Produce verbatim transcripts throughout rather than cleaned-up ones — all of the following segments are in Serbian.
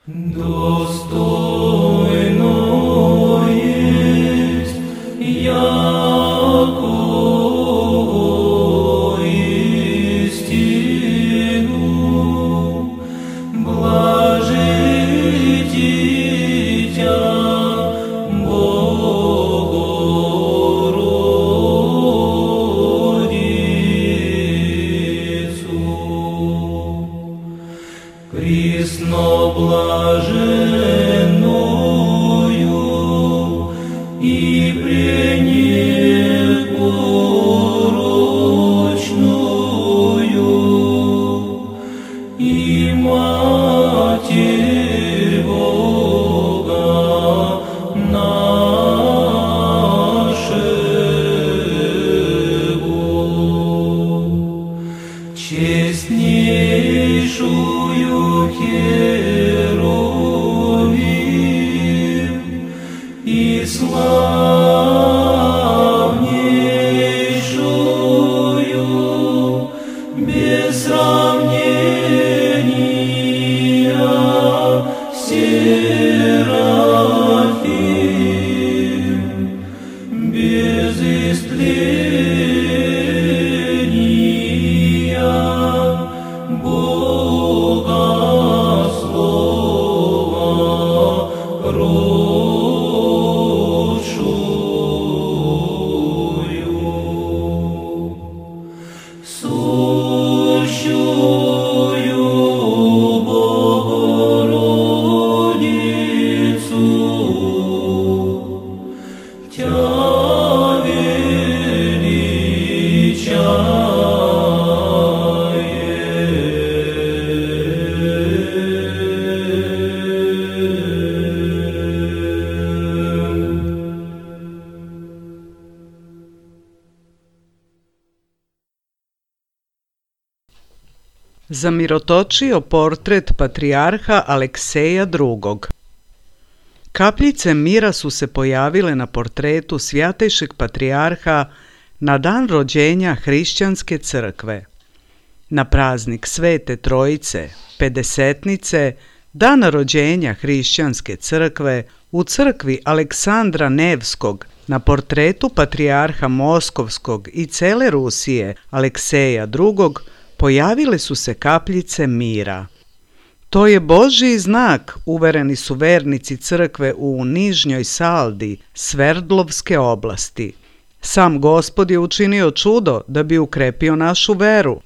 Достойно есть яко истину, блажи дитя Богородицу. Присно блаженною и пренепорочную, и Матерь Бога нашего, честнейшую Херувим и славнейшую без сравнения Серафим, без истления Бога Слова родшую, сущую Богородицу, Тя Zamirotočio portret patrijarha Alekseja drugog. Kapljice mira su se pojavile na portretu svjatejšeg patrijarha na dan rođenja hrišćanske crkve. Na praznik Svete Trojice, pedesetnice, dana rođenja hrišćanske crkve, u crkvi Aleksandra Nevskog, na portretu patrijarha Moskovskog i cele Rusije Alekseja drugog, pojavile su se kapljice mira. To je Božji znak, uvereni su vernici crkve u Nižnjoj Saldi, Sverdlovske oblasti. Sam Gospod je učinio čudo da bi ukrepio našu veru.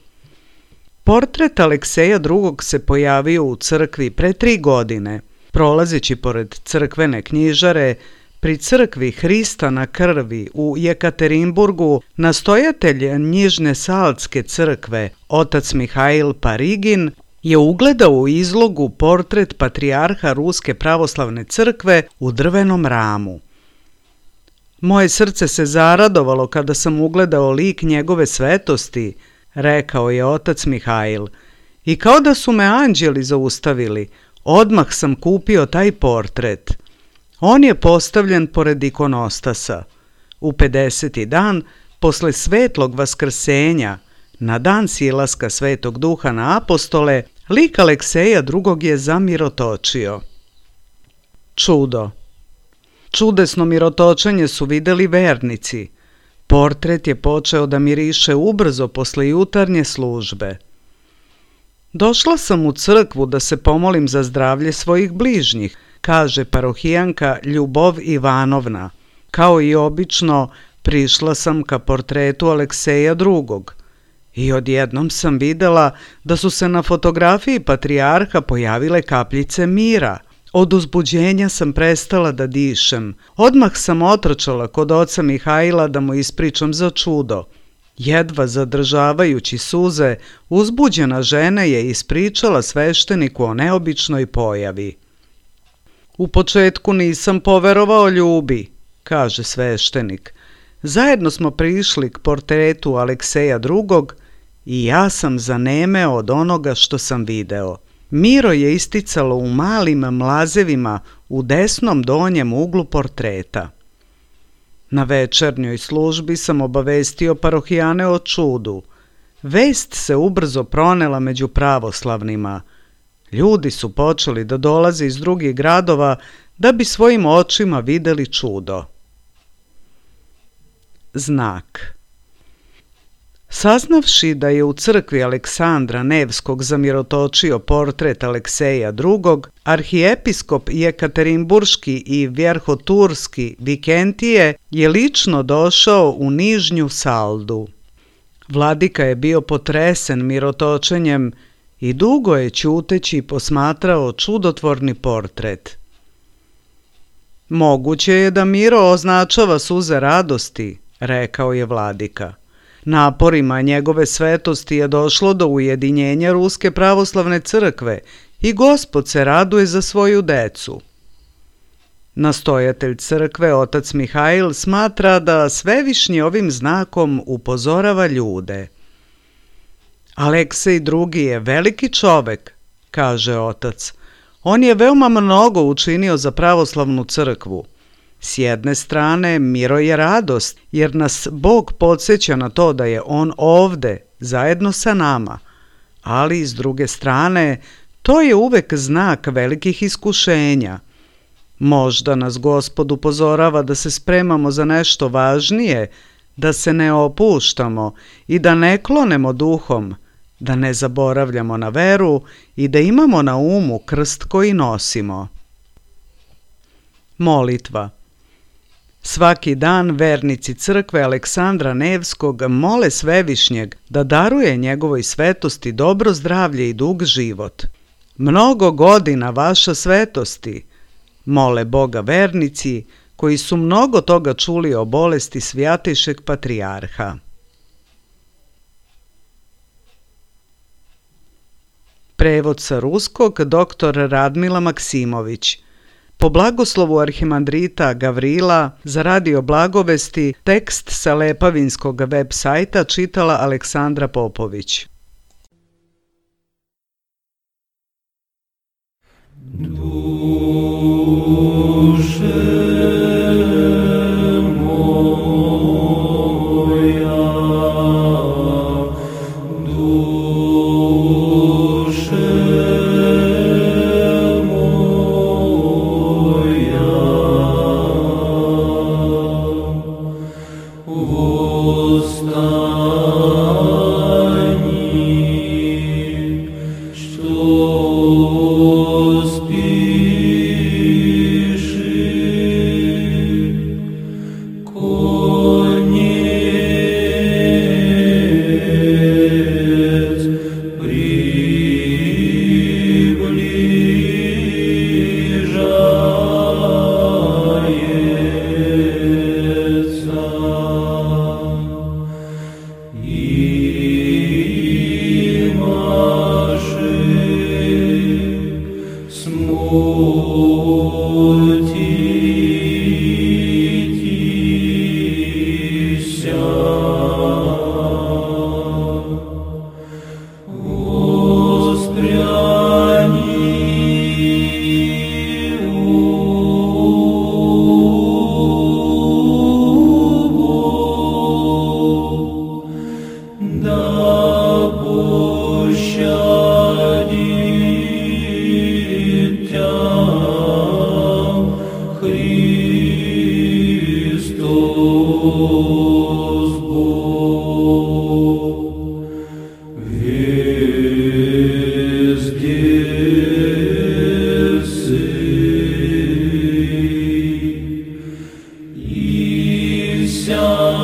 Portret Alekseja drugog se pojavio u crkvi pre tri godine. Prolazeći pored crkvene knjižare, pri crkvi Hrista na krvi u Jekaterinburgu, nastojatelj Nižne Saldske crkve, otac Mihail Parigin, je ugledao u izlogu portret patrijarha Ruske pravoslavne crkve u drvenom ramu. Moje srce se zaradovalo kada sam ugledao lik njegove svetosti, rekao je otac Mihail, i kao da su me anđeli zaustavili, odmah sam kupio taj portret. On je postavljen pored ikonostasa. U pedeseti dan, posle svetlog vaskrsenja, na dan silaska Svetog Duha na apostole, lik Alekseja drugog je zamirotočio. Čudo. Čudesno mirotočenje su videli vernici. Portret je počeo da miriše ubrzo posle jutarnje službe. Došla sam u crkvu da se pomolim za zdravlje svojih bližnjih, kaže parohijanka Ljubov Ivanovna. Kao i obično, prišla sam ka portretu Alekseja drugog. I odjednom sam videla da su se na fotografiji patrijarha pojavile kapljice mira. Od uzbuđenja sam prestala da dišem. Odmah sam otrčala kod oca Mihaila da mu ispričam za čudo. Jedva zadržavajući suze, uzbuđena žena je ispričala svešteniku o neobičnoj pojavi. U početku nisam poverovao Ljubi, kaže sveštenik. Zajedno smo prišli k portretu Alekseja drugog i ja sam zanemeo od onoga što sam video. Miro je isticalo u malim mlazevima u desnom donjem uglu portreta. Na večernjoj službi sam obavestio parohijane o čudu. Vest se ubrzo pronela među pravoslavnima. Ljudi su počeli da dolaze iz drugih gradova da bi svojim očima videli čudo. Znak. Saznavši da je u crkvi Aleksandra Nevskog zamirotočio portret Alekseja drugog, arhijepiskop Jekaterinburški i Vjerhoturski Vikentije je lično došao u Nižnju Saldu. Vladika je bio potresen mirotočenjem i dugo je ćuteći posmatrao čudotvorni portret. Moguće je da Miro označava suze radosti, rekao je vladika. Naporima njegove svetosti je došlo do ujedinjenja Ruske pravoslavne crkve i Gospod se raduje za svoju decu. Nastojatelj crkve, otac Mihajl, smatra da Svevišnji ovim znakom upozorava ljude. Aleksej drugi je veliki čovek, kaže otac. On je veoma mnogo učinio za pravoslavnu crkvu. S jedne strane, Miro je radost, jer nas Bog podsjeća na to da je on ovde, zajedno sa nama. Ali, s druge strane, to je uvek znak velikih iskušenja. Možda nas Gospod upozorava da se spremamo za nešto važnije, da se ne opuštamo i da ne klonemo duhom, da ne zaboravljamo na veru i da imamo na umu krst koji nosimo. Molitva. Svaki dan vernici crkve Aleksandra Nevskog mole Svevišnjeg da daruje njegovoj svetosti dobro zdravlje i dug život. Mnogo godina vaša svetosti, mole Boga vernici koji su mnogo toga čuli o bolesti Svjatejšeg patrijarha. Prevod sa ruskog doktor Radmila Maksimović. Po blagoslovu arhimandrita Gavrila za radio Blagovesti tekst sa Lepavinskog web sajta čitala Aleksandra Popović. Все